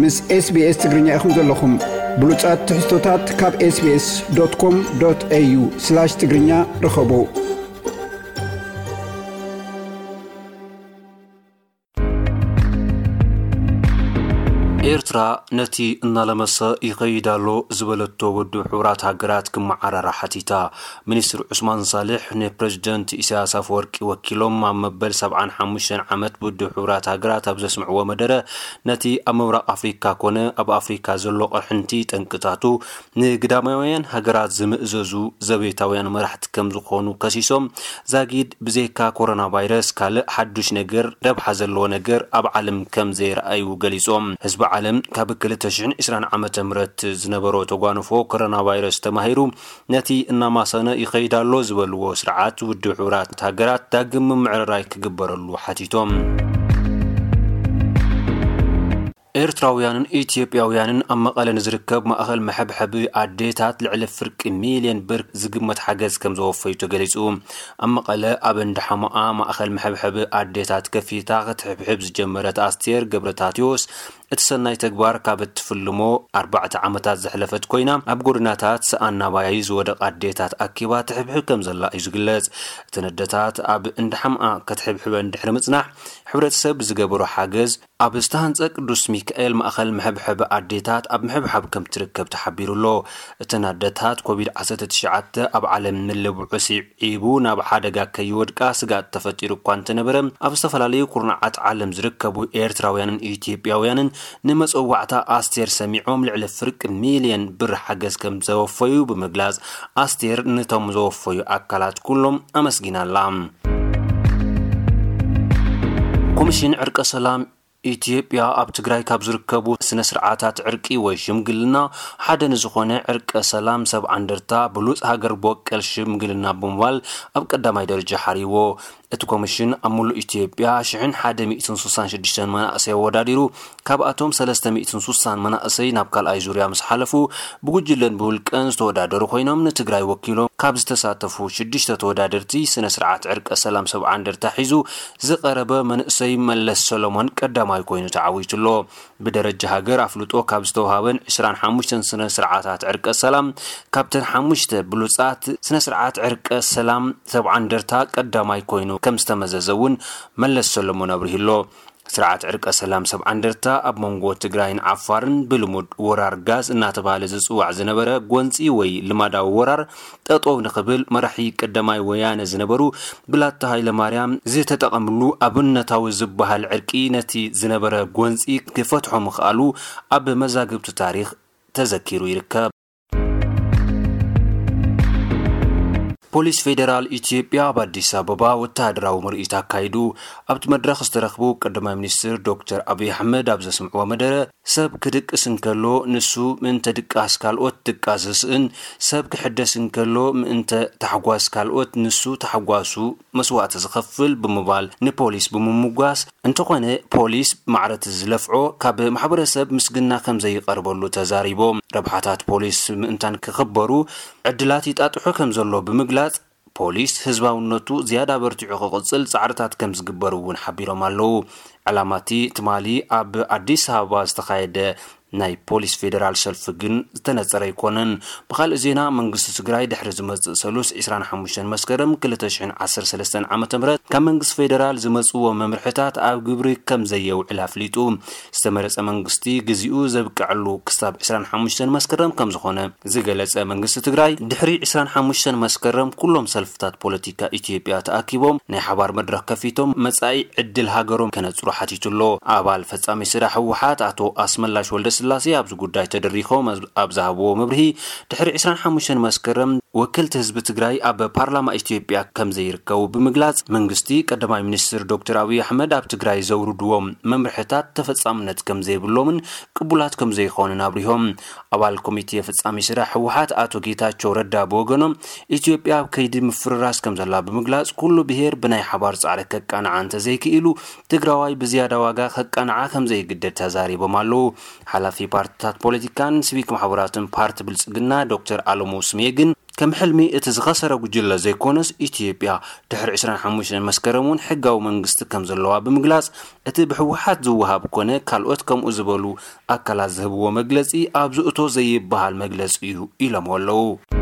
ምስ SBS ትግርኛ ኢኹም ዘለኹም። ብሉጻት ትሕዝቶታት ካብ SBS.com.au/ትግርኛ ርኸቡ። ኤርትራ ነቲ እናለመሰ ይኸይድ ኣሎ ዝበለቶ ውድብ ሕቡራት ሃገራት ክመዓራራ ሓቲታ። ሚኒስትር ዑስማን ሳልሕ ንፕረዚደንት ኢሳያስ ኣፈወርቂ ወኪሎም ኣብ መበል ሰብዓን ሓሙሽተን ዓመት ውድብ ሕቡራት ሃገራት ኣብ ዘስምዕዎ መደረ፣ ነቲ ኣብ ምብራቕ ኣፍሪካ ኮነ ኣብ ኣፍሪካ ዘሎ ቅርሕንቲ ጠንቅታቱ ንግዳማውያን ሃገራት ዝምእዘዙ ዘቤታውያን መራሕቲ ከም ዝኾኑ ከሲሶም፣ ዛጊድ ብዘይካ ኮሮና ቫይረስ ካልእ ሓዱሽ ነገር፣ ረብሓ ዘለዎ ነገር ኣብ ዓለም ከም ዘይረኣዩ ገሊጾም። ህዝቢ ዓለም ካብ ክልተ ሽሕን ዕስራን ዓመተ ምህረት ዝነበሮ ተጓንፎ ኮሮና ቫይረስ ተማሂሩ፣ ነቲ እናማሰነ ይኸይድ ኣሎ ዝበልዎ ስርዓት ውድብ ሕቡራት ሃገራት ዳግም ምምዕርራይ ክግበረሉ ሓቲቶም። ኤርትራውያንን ኢትዮጵያውያንን ኣብ መቐለ ንዝርከብ ማእኸል መሐብሐቢ ኣዴታት ልዕሊ ፍርቂ ሚልዮን ብር ዝግመት ሓገዝ ከም ዘወፈዩ ተገሊጹ። ኣብ መቐለ ኣብ እንዳ ሓሞኣ ማእኸል መሐብሐቢ ኣዴታት ከፊታ ክትሕብሕብ ዝጀመረት ኣስቴር ገብረታቴዎስ፣ እቲ ሰናይ ተግባር ካብ እትፍልሞ ኣርባዕተ ዓመታት ዘሕለፈት ኮይና፣ ኣብ ጎደናታት ሰኣን ናባይ ዝወደቓ ኣዴታት ኣኪባ ትሕብሕብ ከም ዘላ እዩ ዝግለጽ። እተን ኣዴታት ኣብ እንዳ ሓሞኣ ክትሕብሕበን ድሕሪ ምጽናሕ፣ ሕብረተሰብ ብዝገበሮ ሓገዝ፣ ኣብ ዝተሃንጸ ቅዱስ ሚካኤል ማእኸል መሐብሐቢ ኣዴታት ኣብ ምሕብሓብ ከም ትርከብ ተሓቢሩ ኣሎ። እተን ኣዴታት ኮቪድ ዓሰርተ ትሽዓተ ኣብ ዓለም ምልብዑ ስዒቡ ናብ ሓደጋ ከይወድቃ ስግኣት ተፈጢሩ እኳ እንተነበረ፣ ኣብ ዝተፈላለዩ ኩርናዓት ዓለም ዝርከቡ ኤርትራውያንን ኢትዮጵያውያንን ንመጸዋዕታ ኣስቴር ሰሚዖም ልዕሊ ፍርቂ ሚልዮን ብር ሓገዝ ከም ዘወፈዩ ብምግላጽ፣ ኣስቴር ነቶም ዘወፈዩ ኣካላት ኩሎም ኣመስጊና ኣላ። ኮሚሽን ዕርቀ ሰላም ኢትዮጵያ ኣብ ትግራይ ካብ ዝርከቡ ስነ ስርዓታት ዕርቂ ወይ ሽምግልና ሓደ ንዝኾነ ዕርቀ ሰላም ሰብ ዓንደርታ ብሉፅ ሃገር በቀል ሽምግልና ብምባል ኣብ ቀዳማይ ደረጃ ሓሪዎ። እቲ ኮሚሽን ኣብ ሙሉእ ኢትዮጵያ ሽሕን ሓደ ሚእትን ስሳን ሽዱሽተን መናእሰይ ኣወዳዲሩ፣ ካብኣቶም ሰለስተ ሚእትን ስሳን መናእሰይ ናብ ካልኣይ ዙርያ ምስ ሓለፉ፣ ብጉጅለን ብውልቀን ዝተወዳደሩ ኮይኖም፣ ንትግራይ ወኪሎም ካብ ዝተሳተፉ ሽዱሽተ ተወዳደርቲ ስነ ስርዓት ዕርቀ ሰላም ሰብ ዓንደርታ ሒዙ ዝቐረበ መንእሰይ መለስ ሰሎሞን ቀዳማይ ኮይኑ ተዓዊቱ ኣሎ። ብደረጃ ሃገር ኣፍልጦ ካብ ዝተውሃበን ዕስራን ሓሙሽተን ስነ ስርዓታት ዕርቀ ሰላም፣ ካብተን ሓሙሽተ ብሉጻት ስነ ስርዓት ዕርቀ ሰላም ሰብ ዓንደርታ ቀዳማይ ኮይኑ ከም ዝተመዘዘ እውን መለስ ሰሎሞን ኣብሪሁ ኣሎ። ስርዓት ዕርቀ ሰላም ሰብ ዓንደርታ ኣብ መንጎ ትግራይን ዓፋርን ብልሙድ ወራር ጋዝ እናተባህለ ዝጽዋዕ ዝነበረ ጎንጺ ወይ ልማዳዊ ወራር ጠጠው ንኽብል መራሒ ቀዳማይ ወያነ ዝነበሩ ብላታ ሃይለማርያም ዝተጠቐምሉ ኣብነታዊ ዝበሃል ዕርቂ ነቲ ዝነበረ ጎንጺ ክፈትሖ ምኽኣሉ ኣብ መዛግብቲ ታሪኽ ተዘኪሩ ይርከብ። ፖሊስ ፌዴራል ኢትዮጵያ ኣብ ኣዲስ ኣበባ ወተሃደራዊ ምርኢት ኣካይዱ። ኣብቲ መድረኽ ዝተረኽቡ ቀዳማይ ሚኒስትር ዶክተር ኣብይ ኣሕመድ ኣብ ዘስምዕዎ መደረ፣ ሰብ ክድቅስ እንከሎ ንሱ ምእንተ ድቃስ ካልኦት ድቃስ ዝስእን፣ ሰብ ክሕደስ እንከሎ ምእንተ ታሕጓስ ካልኦት ንሱ ታሕጓሱ መስዋእቲ ዝኸፍል ብምባል ንፖሊስ ብምምጓስ፣ እንተኾነ ፖሊስ ማዕረ እቲ ዝለፍዖ ካብ ማሕበረሰብ ምስግና ከም ዘይቐርበሉ ተዛሪቦም። ረብሓታት ፖሊስ ምእንታን ክኽበሩ ዕድላት ይጣጥሑ ከም ዘሎ ብምግላጽ፣ ፖሊስ ህዝባውነቱ ዝያዳ በርቲዑ ክቕጽል ጻዕርታት ከም ዝግበር እውን ሓቢሮም ኣለዉ። ዕላማ እቲ ትማሊ ኣብ ኣዲስ ኣበባ ዝተኻየደ ናይ ፖሊስ ፌዴራል ሰልፊ ግን ዝተነጸረ ኣይኮነን። ብኻልእ ዜና፣ መንግስቲ ትግራይ ድሕሪ ዝመጽእ ሰሉስ ዕስራን ሓሙሽተን መስከረም ክልተ ሽሕን ዓሰርተ ሰለስተን ዓመተ ምህረት ካብ መንግስቲ ፌዴራል ዝመጽእዎ መምርሕታት ኣብ ግብሪ ከም ዘየውዕል ኣፍሊጡ። ዝተመረጸ መንግስቲ ግዚኡ ዘብቅዐሉ ክሳብ ዕስራን ሓሙሽተን መስከረም ከም ዝኾነ ዝገለጸ መንግስቲ ትግራይ፣ ድሕሪ ዕስራን ሓሙሽተን መስከረም ኩሎም ሰልፍታት ፖለቲካ ኢትዮጵያ ተኣኪቦም ናይ ሓባር መድረኽ ከፊቶም መጻኢ ዕድል ሃገሮም ከነጽሩ ሓቲቱ ኣሎ። ኣባል ፈጻሚ ስራሕ ህወሓት ኣቶ ኣስመላሽ ወልደስላሴ ኣብዚ ጉዳይ ተደሪኾም ኣብ ዝሃብዎ መብርሂ፣ ድሕሪ ዕስራን ሓሙሽተን መስከረም ወከልቲ ህዝቢ ትግራይ ኣብ ፓርላማ ኢትዮጵያ ከም ዘይርከቡ ብምግላጽ፣ መንግስቲ ቀዳማይ ሚኒስትር ዶክተር ኣብይ ኣሕመድ ኣብ ትግራይ ዘውርድዎም መምርሕታት ተፈጻምነት ከም ዘይብሎምን ቅቡላት ከም ዘይኾኑን ኣብሪሆም። ኣባል ኮሚቴ ፈጻሚ ስራሕ ህወሓት ኣቶ ጌታቸው ረዳ ብወገኖም፣ ኢትዮጵያ ኣብ ከይዲ ምፍርራስ ከም ዘላ ብምግላጽ፣ ኩሉ ብሄር ብናይ ሓባር ጻዕሪ ከቃንዓ እንተዘይክኢሉ፣ ትግራዋይ ብዝያዳ ዋጋ ከቃንዓ ከም ዘይግደድ ተዛሪቦም ኣለዉ። ሓላፊ ፓርትታት ፖለቲካን ሲቪክ ማሕበራትን ፓርቲ ብልጽግና ዶክተር ኣለሙ ስሜ ግን፣ ከም ሕልሚ እቲ ዝኸሰረ ጉጅለ ዘይኮነስ፣ ኢትዮጵያ ድሕሪ ዕስራን ሓሙሽተን መስከረም እውን ሕጋዊ መንግስቲ ከም ዘለዋ ብምግላጽ፣ እቲ ብህወሓት ዝወሃብ ኮነ ካልኦት ከምኡ ዝበሉ ኣካላት ዝህብዎ መግለጺ ኣብ ዝእቶ ዘይበሃል መግለጺ እዩ ኢሎምዎ ኣለዉ።